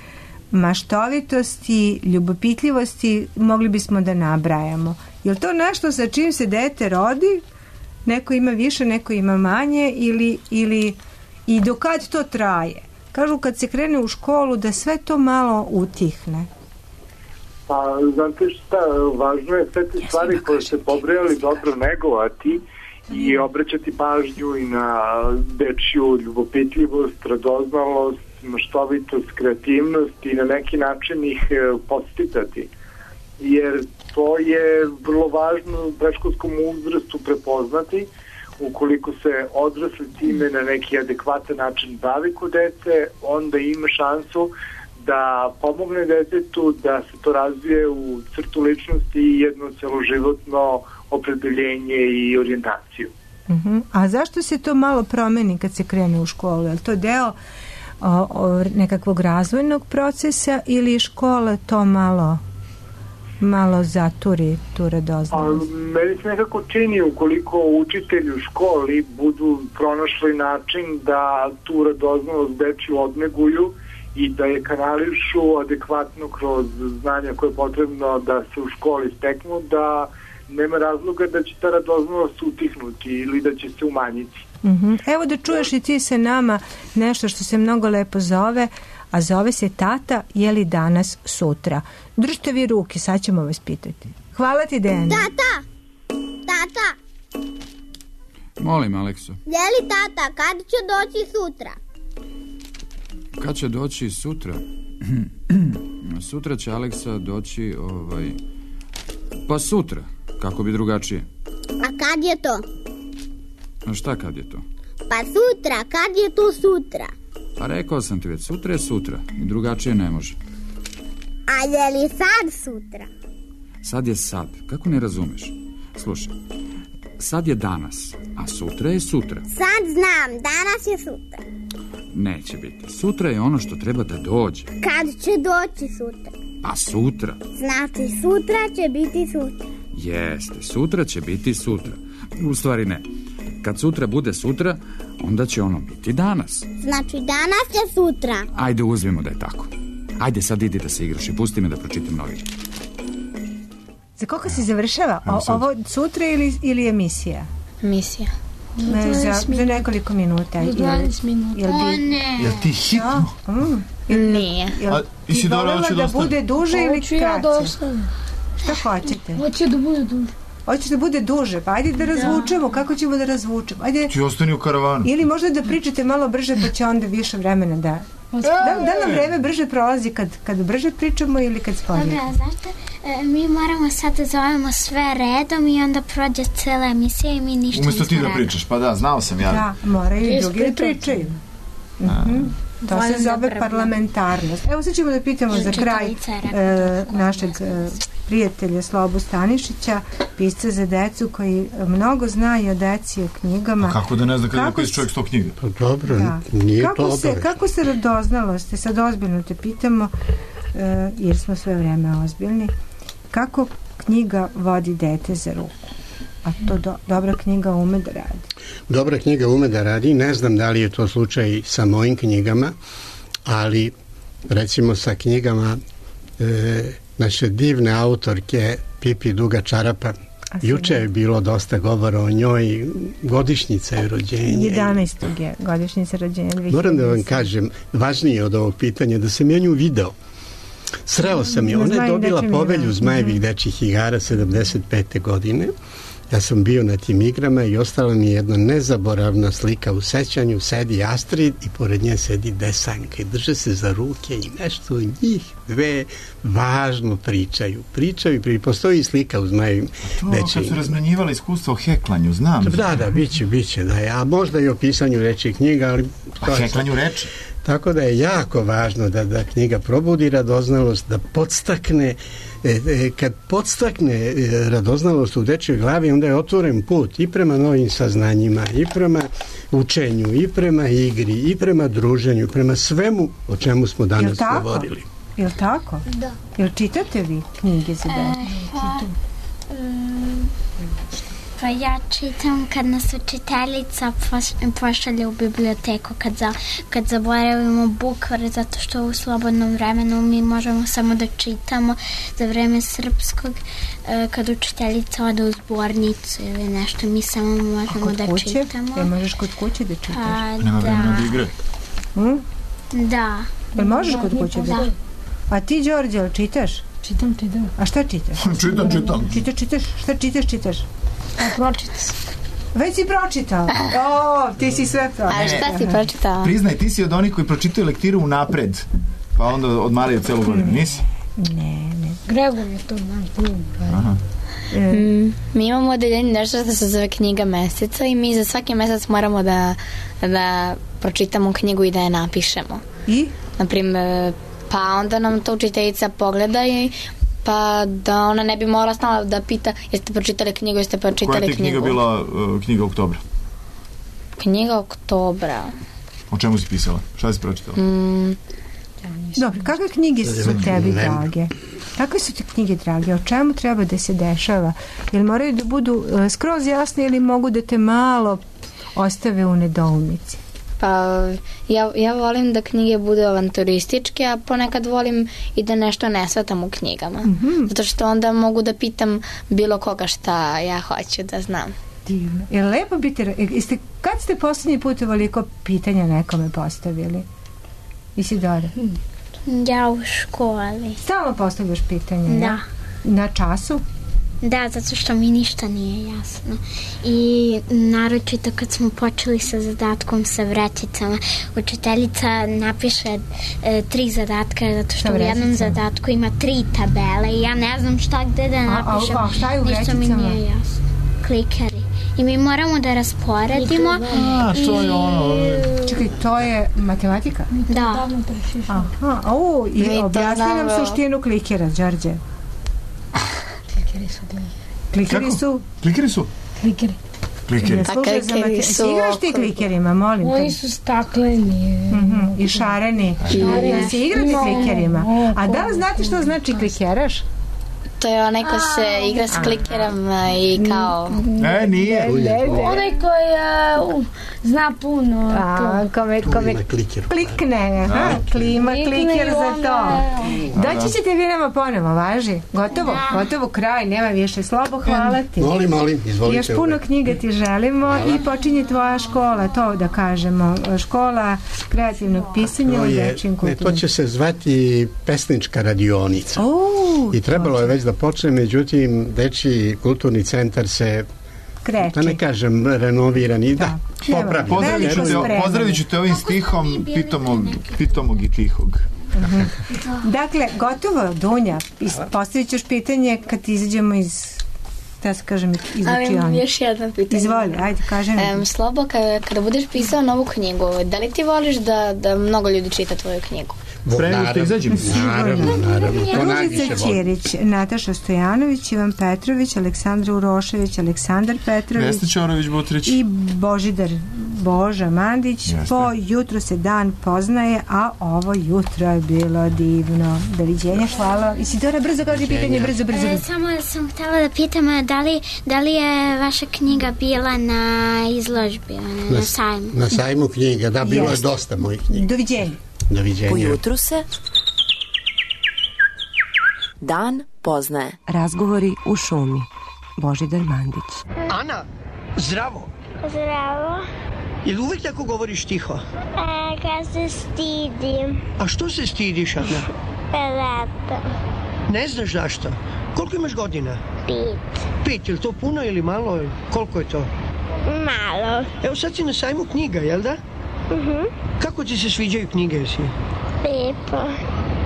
maštovitosti, ljubopitljivosti, mogli bismo da nabrajamo. Je li to nešto sa čim se dete rodi? Neko ima više, neko ima manje ili, ili i dokad to traje? Kažu kad se krene u školu da sve to malo utihne. Pa, znate šta, važno je sve te stvari koje ste pobrojali dobro negovati i obraćati pažnju i na dečju ljubopitljivost, radoznalost, maštovitost, kreativnost i na neki način ih podsticati. Jer to je vrlo važno u predškolskom uzrastu prepoznati. Ukoliko se odrasli time na neki adekvatan način bavi kod dece, onda ima šansu da pomogne detetu da se to razvije u crtu ličnosti i jedno celoživotno opredeljenje i orijentaciju. Uh-huh. A zašto se to malo promeni kad se krene u školu? Je li to deo o, o, nekakvog razvojnog procesa ili škola to malo... malo zaturi tu radoznalost? Meni se nekako čini ukoliko učitelji u školi budu pronašli način da tu radoznalost dečju odneguju i da je kanališu adekvatno kroz znanja koje je potrebno da se u školi steknu, da nema razloga da će ta radoznalost utihnuti ili da će se umanjiti. Uh-huh. Evo da čuješ i ti sa nama nešto što se mnogo lepo zove, a zove se Tata, je li danas sutra? Držite vi ruke, sad ćemo vas pitati. Hvala ti, Dejana. Tata! Tata! Molim, Alekso. Je li tata, kad će doći sutra? Kad će doći sutra? Sutra će Aleksa doći, ovaj... Pa sutra, kako bi drugačije. A kad je to? A šta kad je to? Pa sutra, kad je to sutra? Pa rekao sam ti već, sutra je sutra i drugačije ne može. A je li sad sutra? Sad je sad. Kako ne razumeš? Slušaj, sad je danas, a sutra je sutra. Sad znam, danas je sutra. Neće biti. Sutra je ono što treba da dođe. Kad će doći sutra? A sutra? Znači sutra će biti sutra. Jeste, sutra će biti sutra. U stvari ne. Kad sutra bude sutra, onda će ono biti danas. Znači danas je sutra. Ajde, uzmimo da je tako. Ajde, sad idi da se igraš i pusti me da pročitam novine. Za koliko se završava? O, ovo sutra ili, ili emisija? Emisija. Ne, za, za nekoliko minuta. dvadeset minuta. Jel O, bi, ne. Jel ti hitno? Mm, Nije. Jel, A, i si ti dobro, voljela hoće da da bude duže ili Hoću ja da kraće? ostavim. Šta hoćete? Hoće da bude duže. Hoćeš da bude duže, pa ajde da razvučemo. Kako ćemo da razvučemo? Ajde. Ti ostani u karavanu. Ili možda da pričate malo brže, pa će onda više vremena da... Da, da nam vreme brže prolazi kad, kad brže pričamo ili kad sporije? Dobra, znaš e, mi moramo sad da zovemo sve redom i onda prođe cela emisija i mi ništa Umesto ti nismo da rekli. pričaš, pa da, znao sam ja. Da, moraju i drugi da pričaju. Mhm. To Volim se da zove brbam. parlamentarnost. Evo sad ćemo da pitamo za kraj Učiteljica je rekla e, našeg e, prijatelja Slobu Stanišića, pisca za decu koji mnogo zna i o deci i o knjigama. A kako da ne zna kada je Kako napiše čovjek sto knjiga? Pa dobro, Da. nije kako to se, obavezno. kako se radoznalo ste, sad ozbiljno te pitamo, e, jer smo sve vreme ozbiljni, kako knjiga vodi dete za ruku? A to do, dobra knjiga ume da radi. Dobra knjiga ume da radi, ne znam da li je to slučaj sa mojim knjigama, ali recimo sa knjigama e, naše divne autorke Pipi Duga Čarapa. Juče je bilo dosta govora o njoj, godišnjica je rođenja. jedanaestog je godišnjica rođenja. Moram da vam kažem, važnije od ovog pitanja, da sam ja nju video. Sreo sam je, Na ona je Zmajim dobila dečjem povelju igrama. Zmajevih dečjih igara sedamdeset pete godine. Ja sam bio na tim igrama i ostala mi je jedna nezaboravna slika u sećanju, sedi Astrid i pored nje sedi Desanka i drže se za ruke i nešto njih dve važno pričaju. Pričaju i pričaju. Postoji slika u Zmajevim To, dečjim kad su razmenjivali iskustva o heklanju, znam. Da, da, biće, biće, da je, a možda i o pisanju reči knjiga, ali... A heklanju reči? Tako da je jako važno da, da knjiga probudi radoznalost, da podstakne, e, e, kad podstakne e, radoznalost u dečjoj glavi, onda je otvoren put i prema novim saznanjima, i prema učenju, i prema igri, i prema druženju, prema svemu o čemu smo danas govorili. Jel tako? Da. Jel čitate vi knjige za dete? E, pa, mm, pa ja čitam kad nas učiteljica poš- pošalje u biblioteku kad, za, kad zaboravimo bukvar, zato što u slobodnom vremenu mi možemo samo da čitamo za vreme srpskog, e, kad učiteljica ode u zbornicu ili nešto, mi samo možemo Kod da kuće? čitamo. Jel možeš kod kuće da čitaš? A, Nema vremena da igre. Hm? Da. Jel možeš kod kuće da čitaš? A ti, Đorđe, jel čitaš? Čitam, čitam. A šta čitaš? Čitam, čitam. Čitaš, čitaš? Šta čitaš, čitaš? A pročita sam. Već si pročitao. O, ti si sve pročitao. A šta si pročitao? Priznaj, ti si od onih koji pročitaju lektiru unapred, pa onda odmaraju celu godinu, nisi? Ne, ne. Gregor je to naš drug. Aha. Mm, mi imamo odeljenje nešto što se zove knjiga meseca i mi za svaki mesec moramo da, da pročitamo knjigu i da je napišemo. I? Naprimer, pa onda nam to učiteljica pogleda i pa da ona ne bi morala stalno da pita jeste pročitali knjigu, jeste pročitali Koja ti knjigu. knjiga bila uh, knjiga oktobra? Knjiga oktobra. O čemu si pisala? Šta si pročitala? Mm, Dobro, kakve knjige su tebi drage? Kakve su ti knjige drage? O čemu treba da se dešava? Jel moraju da budu uh, skroz jasne ili mogu da te malo ostave u nedoumici? pa ja, ja volim da knjige budu avanturističke, a ponekad volim i da nešto ne shvatam u knjigama. Mhm. Zato što onda mogu da pitam bilo koga šta ja hoću da znam. Divno. Je li lepo biti... Jeste, kad ste posljednji put ovoliko pitanja nekome postavili? Isidora? Ja u školi. Stalno postavljaš pitanje, Da. ja? Na času? Da, zato što mi ništa nije jasno. I naročito kad smo počeli sa zadatkom sa vrećicama, učiteljica napiše e, tri zadatka, zato što Sa u jednom vrećicama? zadatku ima tri tabele i ja ne znam šta gde da A- a- napišem. a šta je u Ništa mi vrećicama? nije jasno. Klikeri. i mi moramo da rasporedimo. A, to je ono... Čekaj, to je matematika? Da. Aha, au, i objasni nam suštinu klikera, Đorđe. Klikeri su Klikeri su? Klikeri su? Klikeri. Klikeri. Pa klikeri su... Igraš ti klikerima, molim te? Oni su stakleni. I šareni. Da se igrate klikerima. A da li znate što znači klikeraš? To je onaj ko se igra s klikerom i kao... Ne, nije. Onaj koji uh, zna puno. A, kome, kome klikne. Aha, klima, kliker za to. Doći ćete vi nama ponovo, važi? Gotovo, gotovo, kraj, nema više. Slobo, hvala ti. Molim, molim, izvolite. Još puno knjiga ti želimo i počinje tvoja škola, to da kažemo. Škola kreativnog pisanja u dečjem kulturi. To će se zvati pesnička radionica. I trebalo je već da počne, međutim, dečji kulturni centar se, kreći. Da ne kažem, renoviran i da, da popravi. Pozdravit ću te, pozdravit ću te ovim stihom pitomog, pitomog i tihog. Uh-huh. Dakle, gotovo, Dunja, postavit ćeš pitanje kad izađemo iz, da se kažem, iz učionice. Još jedno pitanje. Izvoli, ajde, kažem. Um, Slobo, kada, kada budeš pisao novu knjigu, da li ti voliš da, da mnogo ljudi čita tvoju knjigu? Pre što izađem. Naravno, naravno. Ružica Ćirić, Nataša Stojanović, Ivan Petrović, Aleksandra Urošević, Aleksandar Petrović, Vesna Ćorović-Butrić i Božidar Boža Mandić. Jeste. Po jutru se dan poznaje, a ovo jutro je bilo divno. Doviđenja, hvala. Isidora, brzo kaži pitanje, brzo, brzo. E, samo sam htjela da pitam, da li, da li je vaša knjiga bila na izložbi, na, na sajmu? Na sajmu knjiga, da, bilo Jeste. je dosta mojih knjiga. Doviđenja. Doviđenja. Ujutru se dan poznaje. Razgovori u šumi. Božidar Mandić. Ana, zdravo. Zdravo. Jel uvijek tako govoriš tiho? E, kad se stidim. A što se stidiš, Ana? Zato. Ne znaš zašto? Koliko imaš godina? Pet. Pet, je li to puno ili malo? Koliko je to? Malo. Evo sad si na sajmu knjiga, jel da? Mhm. Kako ti se sviđaju knjige, jesi? Lijepo.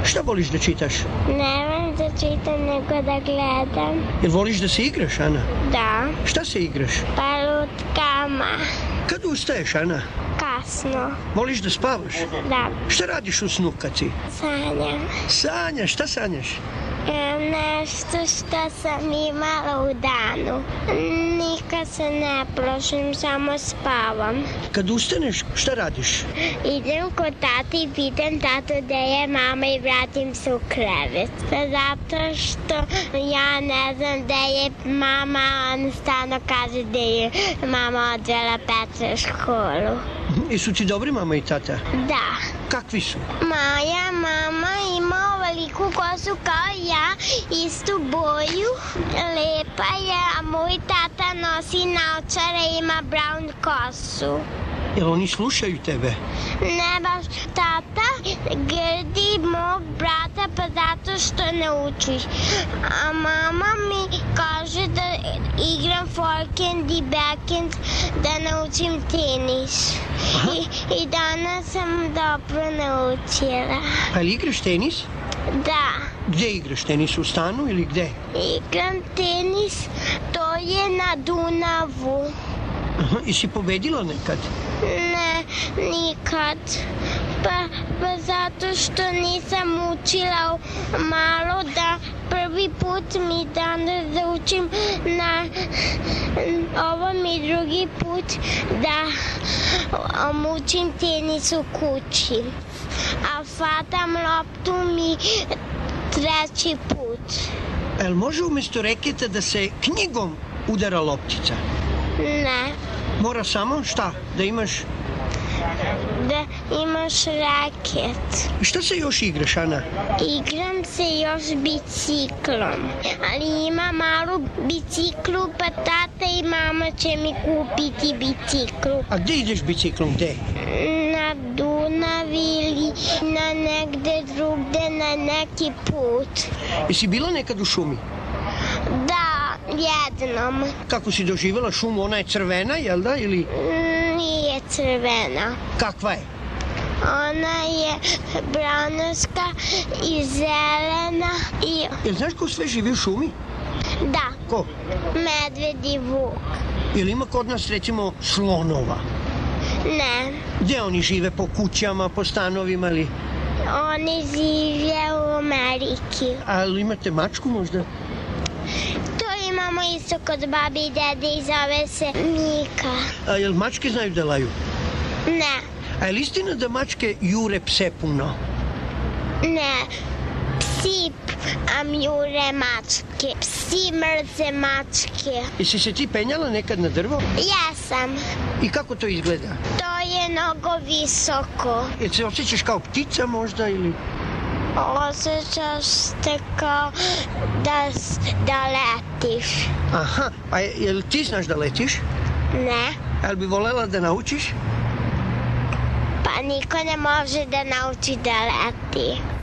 Šta voliš da čitaš? Ne volim da čitam, nego da gledam. Jel voliš da se igraš, Ana? Da. Šta se igraš? Pa lutkama. Kad ustaješ, Ana? Kasno. Voliš da spavaš? Da. Šta radiš u snu kad si? Sanjam. Sanjaš, šta sanjaš? E, nešto što sam imala u danu. Nikad se ne plašim, samo spavam. Kad ustaneš, šta radiš? Idem kod tata i pitam tatu gde je mama i vratim se u krevet. Zato što ja ne znam gde je mama, on stalno kaže gde je mama odvela Petra u školu. I su ti dobri mama i tata? Da. Kakvi su? Moja mama ima ovaliku kosu kao ja, istu boju, lepa je, a moj tata nosi naočare i ima brown kosu. Jel oni slušaju tebe? Ne baš, tata grdi mog brata pa zato što ne uči. A mama mi kaže da igram forehand i backhand, da naučim tenis. I, I danas sam dobro naučila. Pa li igraš tenis? Da. Gde igraš tenis, u stanu ili gde? Igram tenis, to je na Dunavu. Aha, i si pobedila nekad? Ne, nikad. Pa, pa zato što nisam učila malo, da prvi put mi danas da učim na ovo mi drugi put da um, učim tenis u kući. A fatam loptu mi treći put. El može umjesto reketa da se knjigom udara loptica? Ne. Mora samo šta? Da imaš... Da imaš raket. Šta se još igraš, Ana? Igram se još biciklom. Ali ima malu biciklu, pa tata i mama će mi kupiti biciklu. A gde ideš biciklom, gde? Na Dunavi ili na negde drugde, na neki put. Jesi bila nekad u šumi? Da, jednom. Kako si doživjela šumu? Ona je crvena, jel da? Ili... Nije crvena. Kakva je? Ona je branaska i zelena i... Jel znaš ko sve živi u šumi? Da. Ko? Medved i vuk. Jel ima kod nas, recimo, slonova? Ne. Gde oni žive? Po kućama, po stanovima ili... Oni žive u Ameriki. A imate mačku možda? To imamo isto kod babi i dede i zove se Mika. A jel mačke znaju da laju? Ne. A je li istina da mačke jure pse puno? Ne. Psi am jure mačke. Psi mrze mačke. Jesi se ti penjala nekad na drvo? Jesam. I kako to izgleda? To je mnogo visoko. Jel se osjećaš kao ptica možda ili... Osjećaš se kao da, da letiš. Aha, a jel ti znaš da letiš? Ne. Jel bi volela da naučiš? Pa niko ne može da nauči da leti.